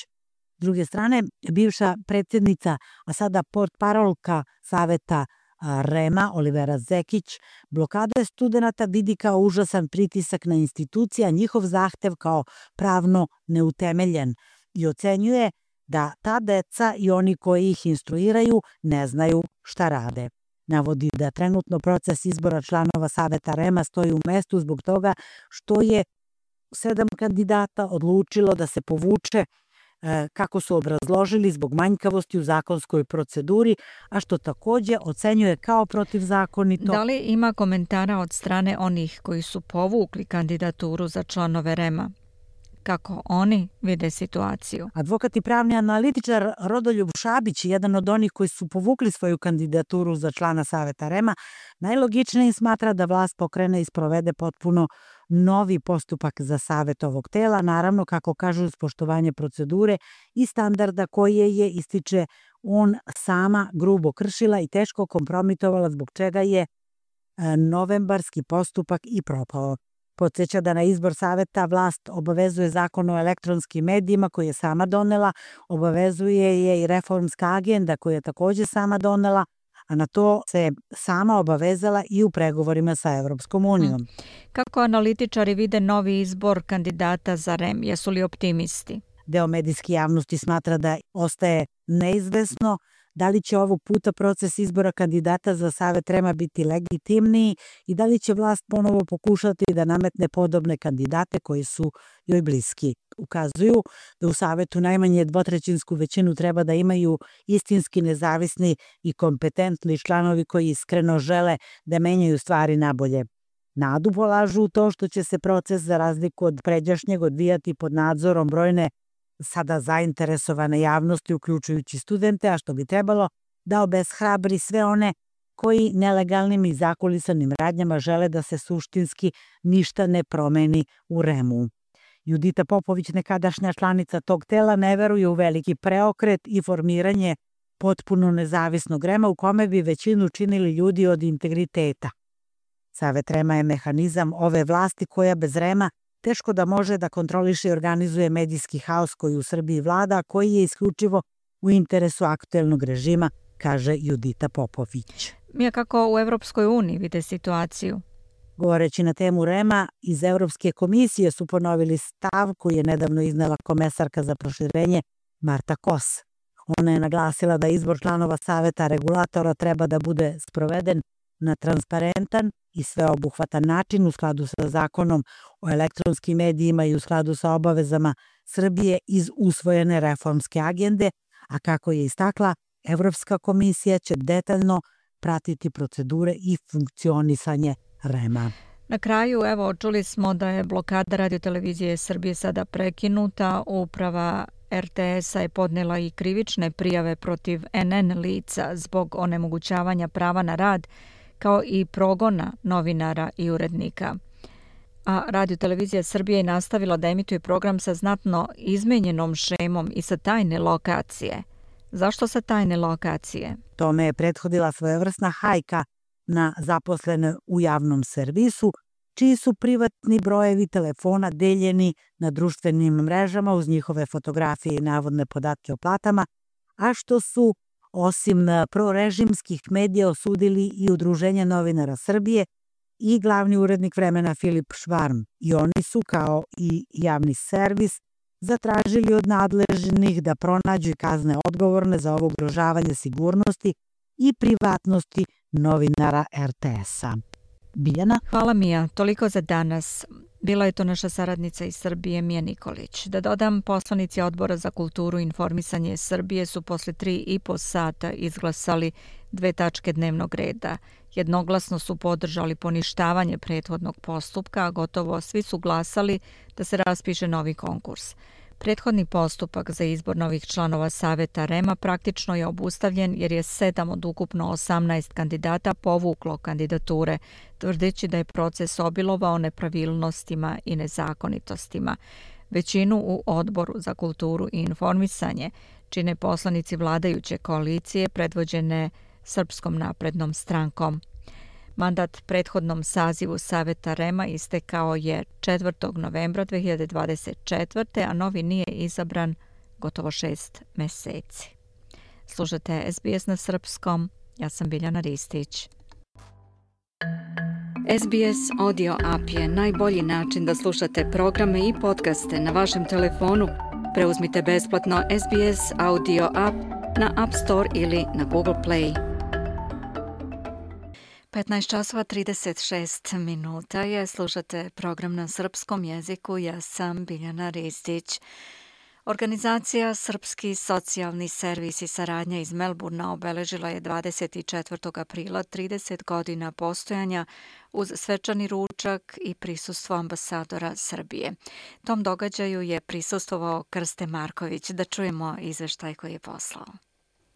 [SPEAKER 9] S druge strane, bivša predsjednica, a sada portparolka Saveta R E M-a, Olivera Zekić, blokade studenata vidi kao užasan pritisak na institucije, a njihov zahtev kao pravno neutemeljen i ocenjuje da ta deca i oni koji ih instruiraju ne znaju šta rade. Navodi da trenutno proces izbora članova Saveta R E M-a stoji u mestu zbog toga što je sedam kandidata odlučilo da se povuče, kako su obrazložili, zbog manjkavosti u zakonskoj proceduri, a što takođe ocenjuje kao protivzakonito.
[SPEAKER 4] Da li ima komentara od strane onih koji su povukli kandidaturu za članove R E M-a? Kako oni vide situaciju?
[SPEAKER 9] Advokat i pravni analitičar Rodoljub Šabić, jedan od onih koji su povukli svoju kandidaturu za člana Saveta R E M-a, najlogičnije smatra da vlast pokrene i sprovede potpuno novi postupak za savet ovog tela, naravno, kako kažu, uz poštovanje procedure i standarda koje je, ističe, on sama grubo kršila i teško kompromitovala, zbog čega je novembarski postupak i propao. Podsjeća da na izbor saveta vlast obavezuje Zakon o elektronskim medijima koji je sama donela, obavezuje je i reformska agenda koju je takođe sama donela, a na to se sama obavezala i u pregovorima sa Evropskom unijom.
[SPEAKER 4] Kako analitičari vide novi izbor kandidata za R E M? Jesu li optimisti?
[SPEAKER 9] Deo medijske javnosti smatra da ostaje neizvesno da li će ovog puta proces izbora kandidata za Savet R E M-a biti legitimniji i da li će vlast ponovo pokušati da nametne podobne kandidate koji su joj bliski. Ukazuju da u Savetu najmanje dvotrećinsku većinu treba da imaju istinski nezavisni i kompetentni članovi koji iskreno žele da menjaju stvari nabolje. Nadu polažu u to što će se proces za razliku od pređašnjeg odvijati pod nadzorom brojne sada zainteresovane javnosti, uključujući studente, a što bi trebalo da obeshrabri sve one koji nelegalnim i zakulisanim radnjama žele da se suštinski ništa ne promeni u R E M-u. Judita Popović, nekadašnja članica tog tela, ne veruje u veliki preokret i formiranje potpuno nezavisnog R E M-a u kome bi većinu činili ljudi od integriteta. Savet R E M-a je mehanizam ove vlasti koja bez R E M-a teško da može da kontroliše i organizuje medijski haos koji u Srbiji vlada, koji je isključivo u interesu aktuelnog režima, kaže Judita Popović.
[SPEAKER 4] Mija, kako u Evropskoj uniji vide situaciju?
[SPEAKER 9] Govoreći na temu R E M-a, iz Evropske komisije su ponovili stav koji je nedavno iznela komesarka za proširenje Marta Kos. Ona je naglasila da izbor članova Saveta regulatora treba da bude sproveden na transparentan i sveobuhvatan način u skladu sa Zakonom o elektronskim medijima i u skladu sa obavezama Srbije iz usvojene reformske agende, a kako je istakla, Evropska komisija će detaljno pratiti procedure i funkcionisanje R E M-a.
[SPEAKER 4] Na kraju, evo, čuli smo da je blokada radiotelevizije Srbije sada prekinuta. Uprava R T S-a je podnela i krivične prijave protiv N N lica zbog onemogućavanja prava na rad, kao i progona novinara i urednika. A radiotelevizija Srbije je nastavila da emituje program sa znatno izmenjenom šemom i sa tajne lokacije. Zašto sa tajne lokacije?
[SPEAKER 9] Tome je prethodila svojevrsna hajka na zaposlene u javnom servisu, čiji su privatni brojevi telefona deljeni na društvenim mrežama uz njihove fotografije i navodne podatke o platama, a što su osim prorežimskih medija osudili i Udruženje novinara Srbije i glavni urednik Vremena Filip Švarm. I oni su, kao i javni servis, zatražili od nadležnih da pronađu i kazne odgovorne za ovo ugrožavanje sigurnosti i privatnosti novinara R T S-a. Biljana?
[SPEAKER 4] Hvala, Mija. Toliko za danas. Bila je to naša saradnica iz Srbije, Mija Nikolić. Da dodam, poslanici Odbora za kulturu i informisanje Srbije su posle tri i po sata izglasali dve tačke dnevnog reda. Jednoglasno su podržali poništavanje prethodnog postupka, a gotovo svi su glasali da se raspiše novi konkurs. Prethodni postupak za izbor novih članova Saveta R E M-a praktično je obustavljen jer je sedam od ukupno osamnaest kandidata povuklo kandidature, tvrdeći da je proces obilovao nepravilnostima i nezakonitostima. Većinu u Odboru za kulturu i informisanje čine poslanici vladajuće koalicije predvođene Srpskom naprednom strankom. Mandat prethodnom sazivu Saveta R E M-a istekao je četvrtog novembra dve hiljade dvadeset četvrte. a novi nije izabran gotovo šest meseci. Slušate S B S na srpskom, ja sam Biljana Ristić.
[SPEAKER 10] S B S Audio App je najbolji način da slušate programe i podcaste na vašem telefonu. Preuzmite besplatno S B S Audio App na App Store ili na Google Play.
[SPEAKER 4] petnaest časova trideset šest minuta je, slušate program na srpskom jeziku, ja sam Biljana Ristić. Organizacija Srpski socijalni servis i saradnja iz Melburna obeležila je dvadeset četvrtog aprila trideset godina postojanja uz svečani ručak i prisustvo ambasadora Srbije. Tom događaju je prisustvovao Krste Marković. Da čujemo izveštaj koji je poslao.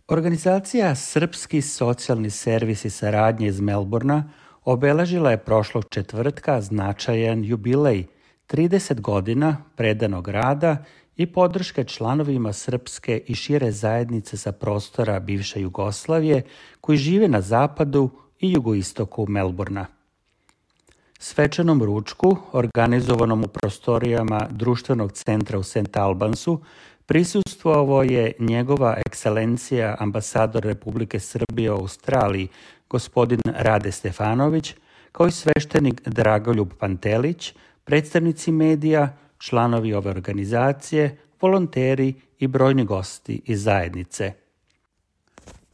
[SPEAKER 11] Organizacija Srpski socijalni servis i saradnje iz Melburna obeležila je prošlog četvrtka značajan jubilej, trideset godina predanog rada i podrške članovima srpske i šire zajednice sa prostora bivše Jugoslavije koji žive na zapadu, i jugoistoku Melbourna. Svečanom ručku, organizovanom u prostorijama društvenog centra u Saint Albansu, prisustvovao je njegova ekscelencija ambasador Republike Srbije u Australiji, gospodin Rade Stefanović, kao i sveštenik Dragoljub Pantelić, predstavnici medija, članovi ove organizacije, volonteri i brojni gosti iz zajednice.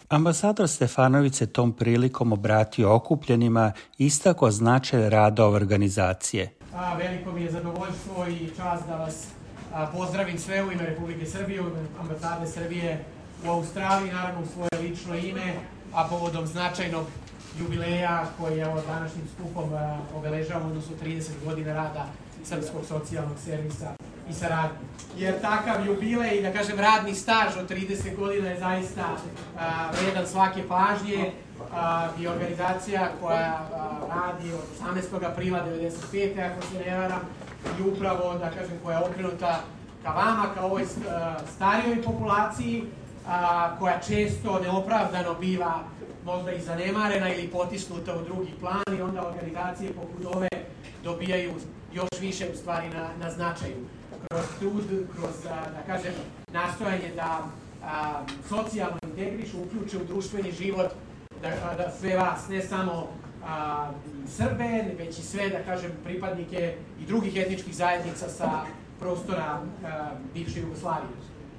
[SPEAKER 11] Ambasador Stefanović se tom prilikom obratio okupljenima i istakao značaj rada ove organizacije.
[SPEAKER 12] A, veliko mi je zadovoljstvo i čast da vas a, pozdravim sve u ime Republike Srbije, u ime ambasade Srbije u Australiji, naravno u svoje lično ime, a povodom značajnog jubileja koji je ovo današnjim skupom a, obeležavamo, odnosno trideset godina rada Srpskog socijalnog servisa i saradnje. Jer takav jubilej, da kažem radni staž od trideset godina je zaista a, vredan svake pažnje a, i organizacija koja a, radi od osamnaestog aprila devedeset pete ako se ne varam, i upravo, da kažem, koja je okrenuta ka vama, ka ovoj a, starijoj populaciji, a, koja često neopravdano biva možda i zanemarena ili potisnuta u drugi plan, i onda organizacije poput ove dobijaju još više u stvari na, na značaju. Kroz trud, kroz, da kažem, nastojanje da a, socijalno integrišu, uključe u društveni život, da, da sve vas, ne samo a, Srbe, već i sve, da kažem, pripadnike i drugih etničkih zajednica sa prostora a, bivše Jugoslavije.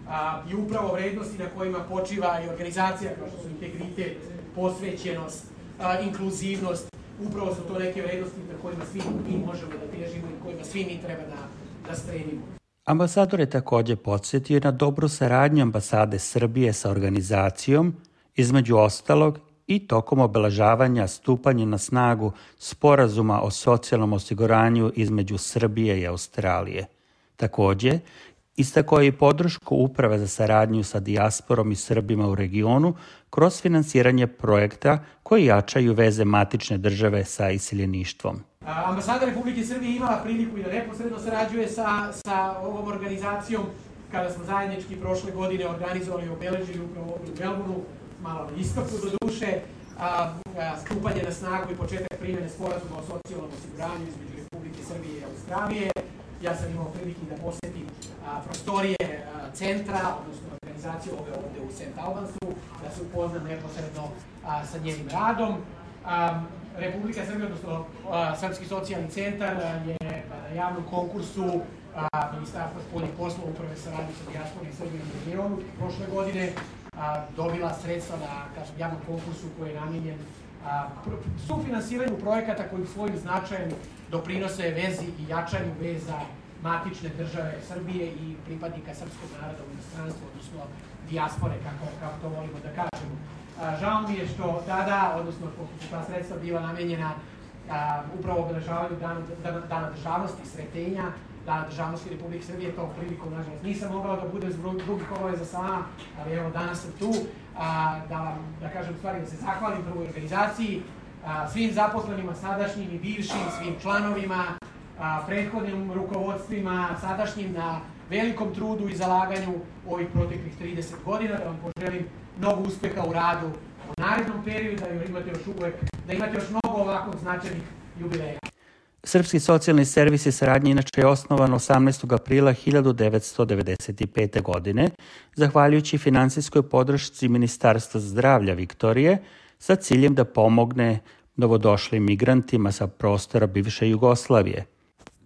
[SPEAKER 12] A, I upravo vrednosti na kojima počiva i organizacija, kao što su integritet, posvećenost, a, inkluzivnost, upravo su to neke vrednosti na kojima svi mi možemo da težimo i kojima svi mi treba da, da stremimo.
[SPEAKER 11] Ambasador je također podsjetio na dobru saradnju ambasade Srbije sa organizacijom, između ostalog i tokom obeležavanja stupanja na snagu Sporazuma o socijalnom osiguranju između Srbije i Australije. Također, istakao je i podršku Uprave za saradnju sa dijasporom i Srbima u regionu kroz finansiranje projekta koji jačaju veze matične države sa iseljeništvom.
[SPEAKER 12] Ambasada Republike Srbije imala priliku i da neposredno sarađuje sa, sa ovom organizacijom kada smo zajednički prošle godine organizovali i obeležili upravo u Melbourneu, malo na istoku do duše, a, a, stupanje na snagu i početak primjene sporazuma o socijalnom osiguranju između Republike Srbije i Australije. Ja sam imao prilike da posjetim a, prostorije a, centra, odnosno organizacije ove ovde u Saint Albansu, da se upoznam neposredno a, sa njenim radom. A, Republika Srbija, odnosno a, Srpski socijalni centar je na javnom konkursu a, Ministarstva spoljnih poslova uprave saradnje sa dijasporom i Srbijom u regionu prošle godine a, dobila sredstva na, kažem, javnom konkursu koji je namijenjen sufinansiranju projekata koji svojim značajem doprinose vezi i jačanju veza matične države Srbije i pripadnika srpskog naroda u inostranstvu, odnosno dijaspore, kako, kako to volimo da kažemo. A, žao mi je što tada, odnosno pošto su ta sredstva bila namenjena a, upravo obeležavanju dana, dana, dana državnosti, sretenja, Dana državnosti Republike Srbije, tom prilikom, nažalost, nisam mogao da budem zbog drugih obaveza sa vama, ali evo danas sam tu, a, da vam, da kažem, stvari, da se zahvalim prvoj organizaciji, a, svim zaposlenima, sadašnjim i bivšim, svim članovima, a, prethodnim rukovodstvima, sadašnjim, na velikom trudu i zalaganju ovih proteklih trideset godina, da vam poželim mnogo uspeha u radu u narednom periodu, da imate još uvek, da imate još mnogo ovakvog značajnih jubileja.
[SPEAKER 11] Srpski socijalni servis i saradnje inače je osnovan osamnaestog aprila hiljadu devetsto devedeset pete. godine, zahvaljujući finansijskoj podršci Ministarstva zdravlja Viktorije sa ciljem da pomogne novodošlim migrantima sa prostora bivše Jugoslavije.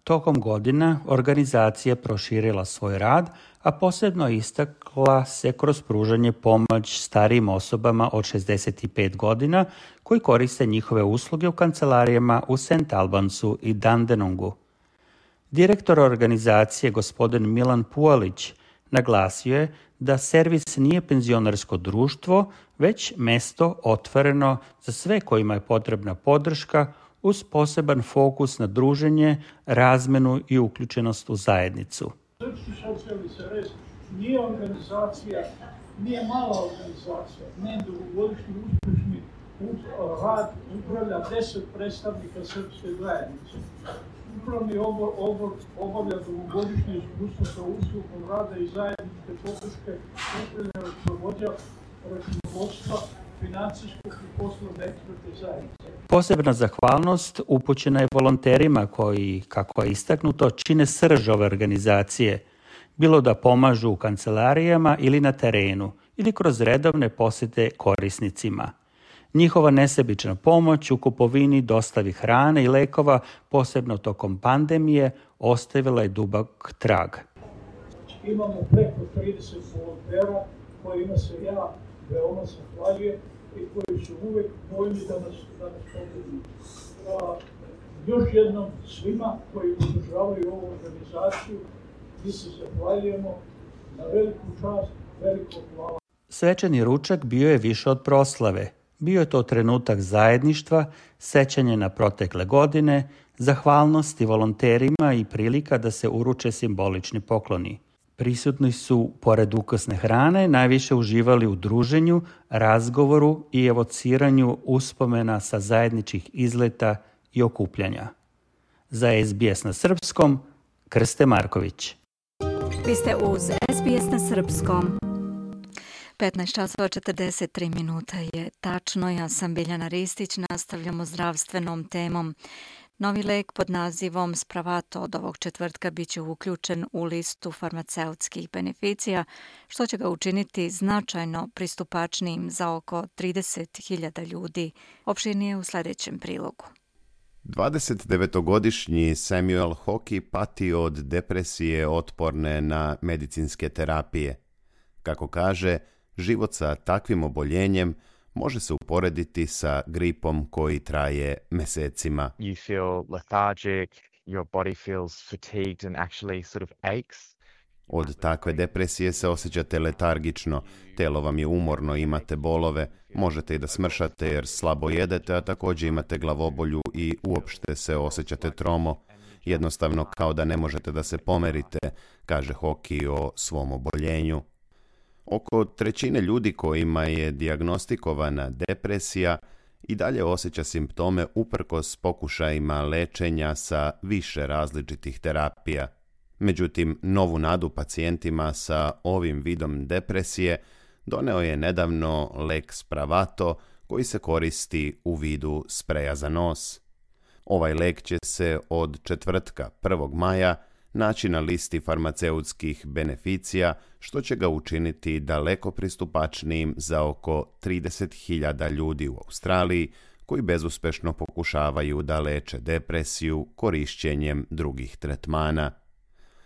[SPEAKER 11] Tokom godina organizacija proširila svoj rad, a posebno istakla se kroz pružanje pomoć starijim osobama od šezdeset pet godina koji koriste njihove usluge u kancelarijama u Saint Albansu i Dandenongu. Direktor organizacije, gospodin Milan Pualić, naglasio je da servis nije penzionersko društvo, već mesto otvoreno za sve kojima je potrebna podrška uz poseban fokus na druženje, razmenu i uključenost u zajednicu.
[SPEAKER 13] Srpski socijalni servis nije organizacija, nije mala organizacija, ne dugogodišnji uspešni rad upravlja deset predstavnika srpske zajednice. Upravni odbor, odbor obavlja dugogodišnje iskustvo sa uslugom rada i zajedničke podrške upravljanja računovodstva financijskog i poslovne ekspertne zajednice.
[SPEAKER 11] Posebna zahvalnost upućena je volonterima koji, kako je istaknuto, čine srž ove organizacije, bilo da pomažu u kancelarijama ili na terenu, ili kroz redovne posjete korisnicima. Njihova nesebična pomoć u kupovini, dostavi hrane i lekova, posebno tokom pandemije, ostavila je dubok trag.
[SPEAKER 13] Imamo preko trideset volontera kojima se ja veoma zahvaljujem i koji su uvek voljni da nas, da nas pomogu. Još jednom svima koji podržavaju ovu organizaciju, mi se zahvaljujemo na veliku čast, veliko hvala.
[SPEAKER 11] Svečani ručak bio je više od proslave. Bio je to trenutak zajedništva, sećanje na protekle godine, zahvalnosti volonterima i prilika da se uruče simbolični pokloni. Prisutni su, pored ukusne hrane, najviše uživali u druženju, razgovoru i evociranju uspomena sa zajedničkih izleta i okupljanja. Za S B S na srpskom, Krste Marković.
[SPEAKER 10] Vi ste uz S B S na srpskom.
[SPEAKER 4] petnaest časova četrdeset tri minuta je tačno. Ja sam Biljana Ristić. Nastavljamo zdravstvenom temom. Novi lek pod nazivom Spravato od ovog četvrtka bit će uključen u listu farmaceutskih beneficija, što će ga učiniti značajno pristupačnijim za oko trideset hiljada ljudi. Opširnije u sljedećem prilogu.
[SPEAKER 6] dvadesetdevetogodišnji Samuel Hockey pati od depresije otporne na medicinske terapije. Kako kaže, život sa takvim oboljenjem može se uporediti sa gripom koji traje mesecima.
[SPEAKER 14] You feel lethargic, your body feels fatigued and actually sort of aches.
[SPEAKER 6] Od takve depresije se osjećate letargično, telo vam je umorno, imate bolove, možete i da smršate jer slabo jedete, a također imate glavobolju i uopšte se osjećate tromo. Jednostavno kao da ne možete da se pomerite, kaže Hockey o svom oboljenju. Oko trećine ljudi kojima je dijagnostikovana depresija i dalje osjeća simptome uprkos pokušajima lečenja sa više različitih terapija. Međutim, novu nadu pacijentima sa ovim vidom depresije doneo je nedavno lek Spravato koji se koristi u vidu spreja za nos. Ovaj lek će se od četvrtka prvog maja naći na listi farmaceutskih beneficija, što će ga učiniti daleko pristupačnijim za oko trideset hiljada ljudi u Australiji koji bezuspešno pokušavaju da leče depresiju korišćenjem drugih tretmana.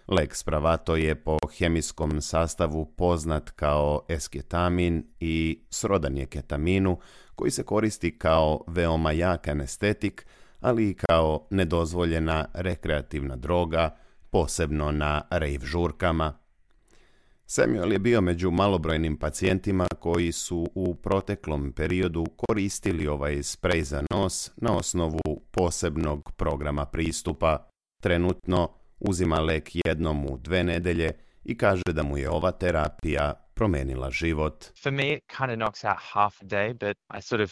[SPEAKER 6] Lek Spravato je po hemijskom sastavu poznat kao esketamin i srodan je ketaminu, koji se koristi kao veoma jak anestetik, ali i kao nedozvoljena rekreativna droga, posebno na rave žurkama. Samuel je bio među malobrojnim pacijentima koji su u proteklom periodu koristili ovaj sprej za nos na osnovu posebnog programa pristupa. Trenutno uzima lek jednom u dve nedelje i kaže da mu je ova terapija promenila život.
[SPEAKER 14] For me it kind of knocks out half a day, but I sort of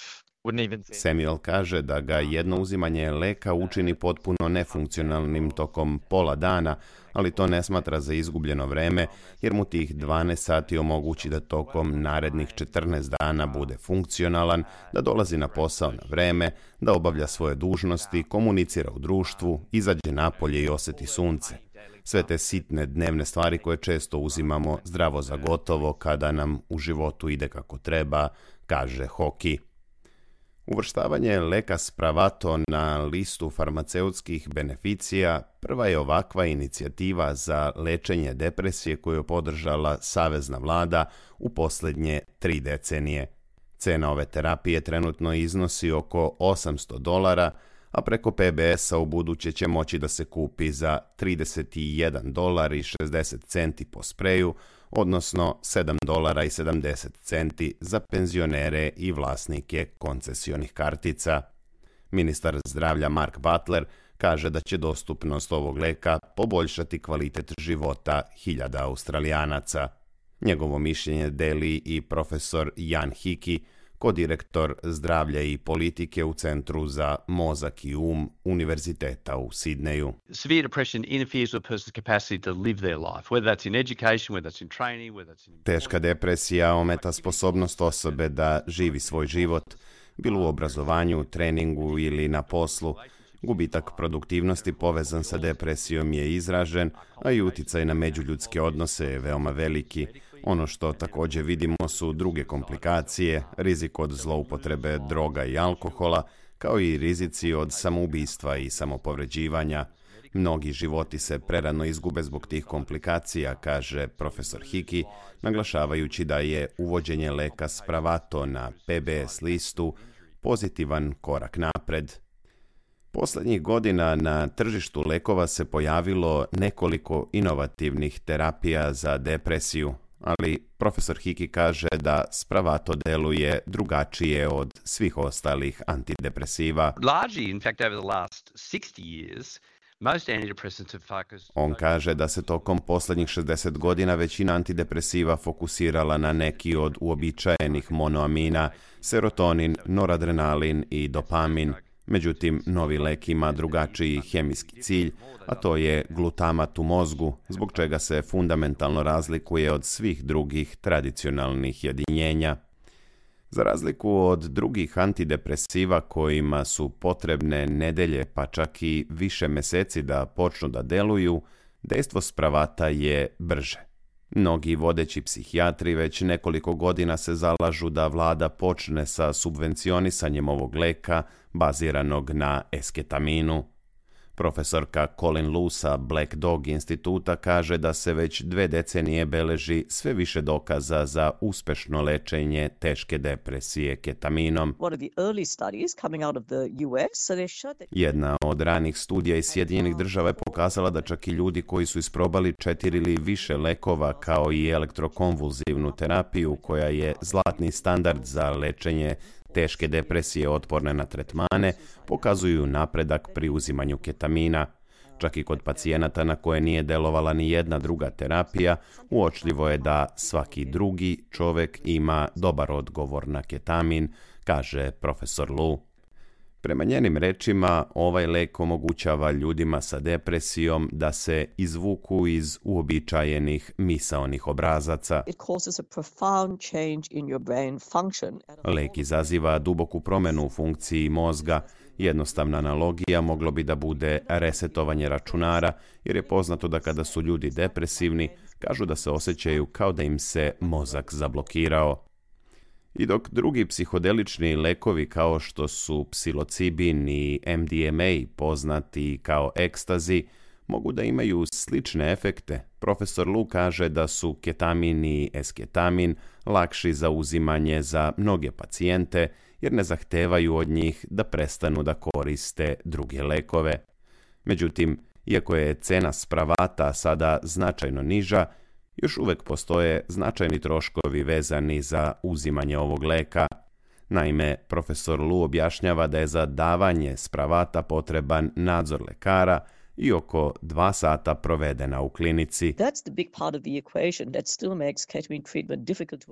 [SPEAKER 6] Samuel kaže da ga jedno uzimanje leka učini potpuno nefunkcionalnim tokom pola dana, ali to ne smatra za izgubljeno vreme, jer mu tih dvanaest sati omogući da tokom narednih četrnaest dana bude funkcionalan, da dolazi na posao na vreme, da obavlja svoje dužnosti, komunicira u društvu, izađe napolje i osjeti sunce. Sve te sitne dnevne stvari koje često uzimamo zdravo za gotovo kada nam u životu ide kako treba, kaže Hockey. Uvrštavanje leka Spravato na listu farmaceutskih beneficija prva je ovakva inicijativa za lečenje depresije koju je podržala savezna vlada u posljednje tri decenije. Cena ove terapije trenutno iznosi oko osamsto dolara, a preko P B S-a u buduće će moći da se kupi za trideset jedan dolar i šezdeset centi po spreju, odnosno sedam dolara i sedamdeset centi za penzionere i vlasnike koncesionih kartica. Ministar zdravlja Mark Butler kaže da će dostupnost ovog leka poboljšati kvalitet života hiljada Australijanaca. Njegovo mišljenje deli i profesor Jan Hickey, kodirektor zdravlja i politike u Centru za mozak i um Univerziteta u Sidneju.
[SPEAKER 15] Severe depression interferes with a person's capacity to live their life, whether that's in education, whether that's in training, whether that's in...
[SPEAKER 6] Teška depresija ometa sposobnost osobe da živi svoj život, bilo u obrazovanju, treningu ili na poslu. Gubitak produktivnosti povezan sa depresijom je izražen, a i uticaj na međuljudske odnose je veoma veliki. Ono što također vidimo su druge komplikacije, rizik od zloupotrebe droga i alkohola, kao i rizici od samoubistva i samopovređivanja. Mnogi životi se prerano izgube zbog tih komplikacija, kaže profesor Hickey, naglašavajući da je uvođenje leka Spravato na P B S listu pozitivan korak napred. Posljednjih godina na tržištu lekova se pojavilo nekoliko inovativnih terapija za depresiju, ali profesor Hickey kaže da Spravato deluje drugačije od svih ostalih antidepresiva.
[SPEAKER 15] Largely, in fact, over the last sixty years, most antidepressants have focused...
[SPEAKER 6] On kaže da se tokom posljednjih šezdeset godina većina antidepresiva fokusirala na neki od uobičajenih monoamina, serotonin, noradrenalin i dopamin. Međutim, novi lek ima drugačiji hemijski cilj, a to je glutamat u mozgu, zbog čega se fundamentalno razlikuje od svih drugih tradicionalnih jedinjenja. Za razliku od drugih antidepresiva kojima su potrebne nedelje pa čak i više meseci da počnu da deluju, dejstvo Spravata je brže. Mnogi vodeći psihijatri već nekoliko godina se zalažu da vlada počne sa subvencionisanjem ovog leka baziranog na esketaminu. Profesorka Colin Lu sa Black Dog instituta kaže da se već dve decenije beleži sve više dokaza za uspešno lečenje teške depresije ketaminom. Jedna od ranih studija iz Sjedinjenih država je pokazala da čak i ljudi koji su isprobali četiri ili više lekova kao i elektrokonvulzivnu terapiju koja je zlatni standard za lečenje teške depresije otporne na tretmane, pokazuju napredak pri uzimanju ketamina. Čak i kod pacijenata na koje nije delovala ni jedna druga terapija, uočljivo je da svaki drugi čovjek ima dobar odgovor na ketamin, kaže profesor Lu. Prema njenim rečima, ovaj lek omogućava ljudima sa depresijom da se izvuku iz uobičajenih misaonih obrazaca. Lek izaziva duboku promjenu u funkciji mozga. Jednostavna analogija moglo bi da bude resetovanje računara, jer je poznato da kada su ljudi depresivni, kažu da se osjećaju kao da im se mozak zablokirao. I dok drugi psihodelični lekovi kao što su psilocibin i M D M A, poznati kao ekstazi, mogu da imaju slične efekte, profesor Lu kaže da su ketamin i esketamin lakši za uzimanje za mnoge pacijente jer ne zahtevaju od njih da prestanu da koriste druge lekove. Međutim, iako je cena Spravata sada značajno niža, još uvek postoje značajni troškovi vezani za uzimanje ovog leka. Naime, profesor Lu objašnjava da je za davanje Spravata potreban nadzor lekara i oko dva sata provedena u klinici.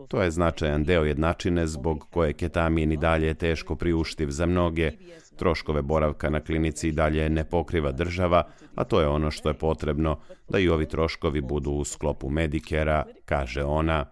[SPEAKER 6] To je značajan deo jednačine zbog koje ketamin i dalje je teško priuštiv za mnoge. Troškove boravka na klinici dalje ne pokriva država, a to je ono što je potrebno da i ovi troškovi budu u sklopu Medicare-a, kaže ona.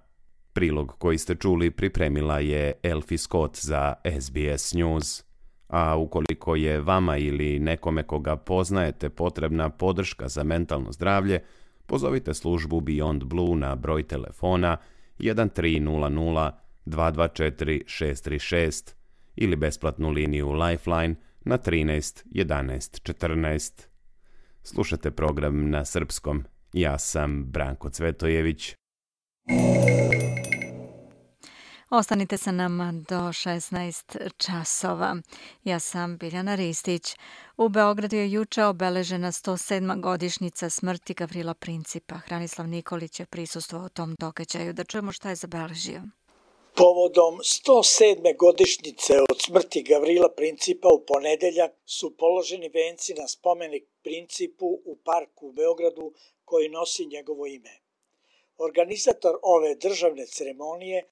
[SPEAKER 6] Prilog koji ste čuli pripremila je Elfie Scott za S B S News. A ukoliko je vama ili nekome koga poznajete potrebna podrška za mentalno zdravlje, pozovite službu Beyond Blue na broj telefona jedan tri nula nula dva dva četiri šest tri šest ili besplatnu liniju Lifeline na trinaest jedanaest četrnaest. Slušate program na srpskom. Ja sam Branko Cvetojević.
[SPEAKER 4] Ostanite sa nama do šesnaest časova. Ja sam Biljana Ristić. U Beogradu je juče obeležena sto sedma godišnjica smrti Gavrila Principa. Hranislav Nikolić je prisustvovao tom događaju. Da čujemo šta je zabeležio.
[SPEAKER 16] Povodom sto sedme godišnjice od smrti Gavrila Principa u ponedeljak su položeni venci na spomenik Principu u parku u Beogradu koji nosi njegovo ime. Organizator ove državne ceremonije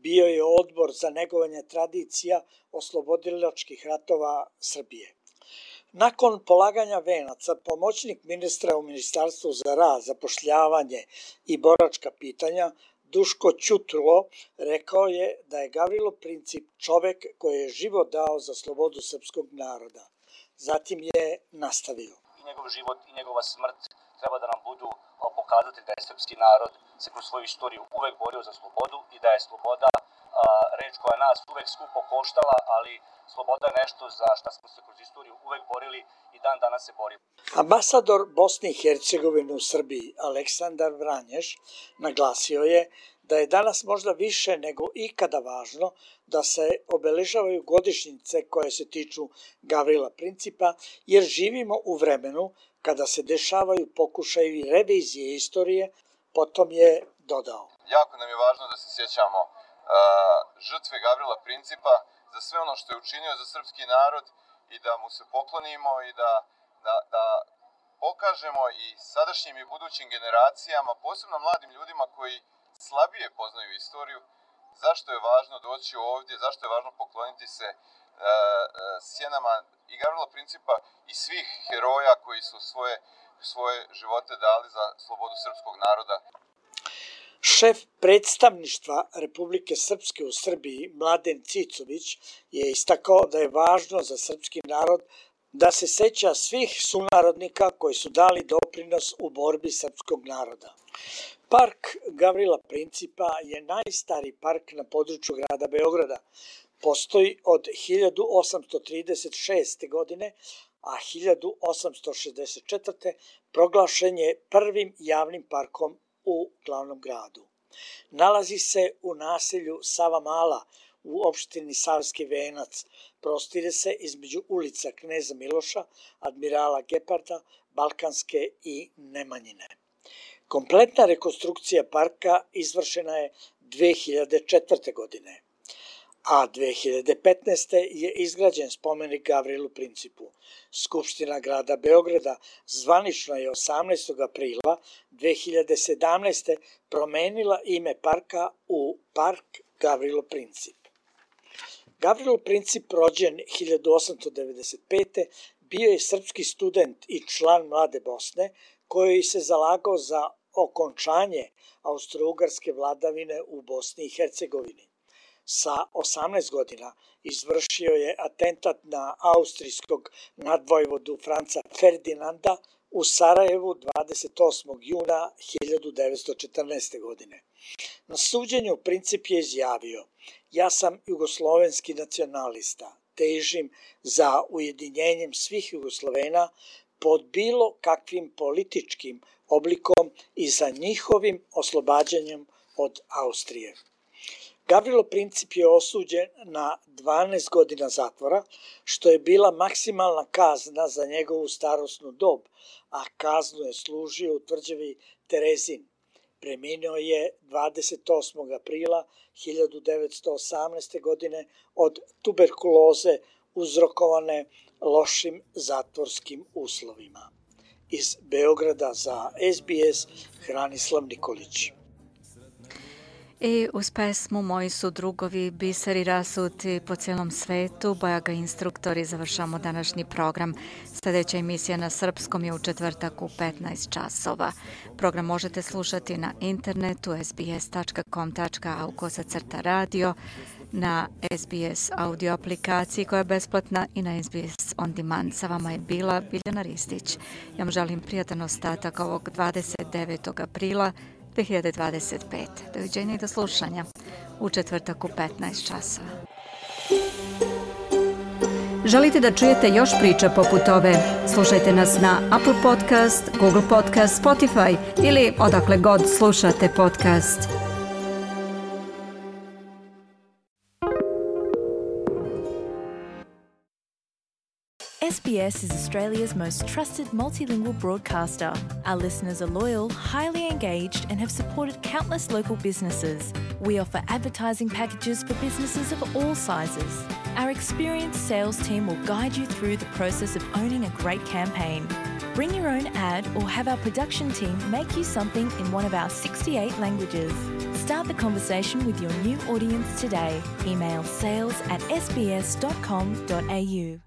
[SPEAKER 16] bio je odbor za negovanje tradicija oslobodilačkih ratova Srbije. Nakon polaganja venaca, pomoćnik ministra u Ministarstvu za rad, zapošljavanje i boračka pitanja Duško Ćutulo rekao je da je Gavrilo Princip čovek koji je život dao za slobodu srpskog naroda. Zatim je nastavio.
[SPEAKER 17] I njegov život i njegova smrt treba da nam budu pokazati da je srpski narod se kroz svoju istoriju uvek borio za slobodu i da je sloboda a, reč koja nas uvek skupo koštala, ali sloboda je nešto za što smo se kroz istoriju uvek borili i dan danas se borimo.
[SPEAKER 16] Ambasador Bosne i Hercegovine u Srbiji Aleksandar Vranješ naglasio je da je danas možda više nego ikada važno da se obeležavaju godišnjice koje se tiču Gavrila Principa, jer živimo u vremenu kada se dešavaju pokušajevi revizije istorije. Potom je dodao.
[SPEAKER 18] Jako nam je važno da se sjećamo uh, žrtve Gavrila Principa za sve ono što je učinio za srpski narod i da mu se poklonimo i da, da, da pokažemo i sadašnjim i budućim generacijama, posebno mladim ljudima koji slabije poznaju istoriju, zašto je važno doći ovdje, zašto je važno pokloniti se uh, sjenama i Gavrila Principa i svih heroja koji su svoje, svoje živote dali za slobodu srpskog naroda.
[SPEAKER 16] Šef predstavništva Republike Srpske u Srbiji, Mladen Cicović, je istakao da je važno za srpski narod da se seća svih sunarodnika koji su dali doprinos u borbi srpskog naroda. Park Gavrila Principa je najstariji park na području grada Beograda. Postoji od hiljadu osamsto trideset šeste. godine, a hiljadu osamsto šezdeset četvrte. proglašen je prvim javnim parkom u glavnom gradu. Nalazi se u naselju Savamala u opštini Savski Venac. Prostire se između ulica Kneza Miloša, Admirala Geparda, Balkanske i Nemanjine. Kompletna rekonstrukcija parka izvršena je dve hiljade četvrte. godine, a dve hiljade petnaeste. je izgrađen spomenik Gavrilu Principu. Skupština grada Beograda zvanično je osamnaestog aprila dve hiljade sedamnaeste. promenila ime parka u Park Gavrilo Princip. Gavrilo Princip, rođen hiljadu osamsto devedeset pete. bio je srpski student i član Mlade Bosne, koji se zalagao za okončanje austrougarske vladavine u Bosni i Hercegovini. Sa osamnaest godina izvršio je atentat na austrijskog nadvojvodu Franca Ferdinanda u Sarajevu dvadeset osmog juna hiljadu devetsto četrnaeste. godine. Na suđenju Princip je izjavio: ja sam jugoslovenski nacionalista, težim za ujedinjenjem svih Jugoslovena pod bilo kakvim političkim oblikom i za njihovim oslobađanjem od Austrije. Gavrilo Princip je osuđen na dvanaest godina zatvora, što je bila maksimalna kazna za njegovu starosnu dob, a kaznu je služio u tvrđavi Terezin. Preminuo je dvadeset osmog aprila hiljadu devetsto osamnaeste. godine od tuberkuloze uzrokovane lošim zatvorskim uslovima. Iz Beograda za S B S Hranislav Nikolić.
[SPEAKER 4] I uz pesmu Moji su drugovi, biseri rasuti po cijelom svetu, Bajaga instruktori, završamo današnji program. Sljedeća emisija na srpskom je u četvrtak u petnaest časova. Program možete slušati na internetu es be es tačka com tačka a u kosacrta radio, na S B S audio aplikaciji koja je besplatna i na S B S On Demand. Sa vama je bila Biljana Ristić. Ja vam želim prijatan ostatak ovog dvadeset devetog aprila dve hiljade dvadeset pete. Doviđenja i do slušanja u četvrtak u petnaest časova.
[SPEAKER 10] Želite da čujete još priča poput ove? Slušajte nas na Apple Podcast, Google Podcast, Spotify ili odakle god slušate podcast.
[SPEAKER 2] S B S is Australia's most trusted multilingual broadcaster. Our listeners are loyal, highly engaged, and have supported countless local businesses. We offer advertising packages for businesses of all sizes. Our experienced sales team will guide you through the process of owning a great campaign. Bring your own ad or have our production team make you something in one of our sixty-eight languages. Start the conversation with your new audience today. Email sales at s b s dot com dot a u.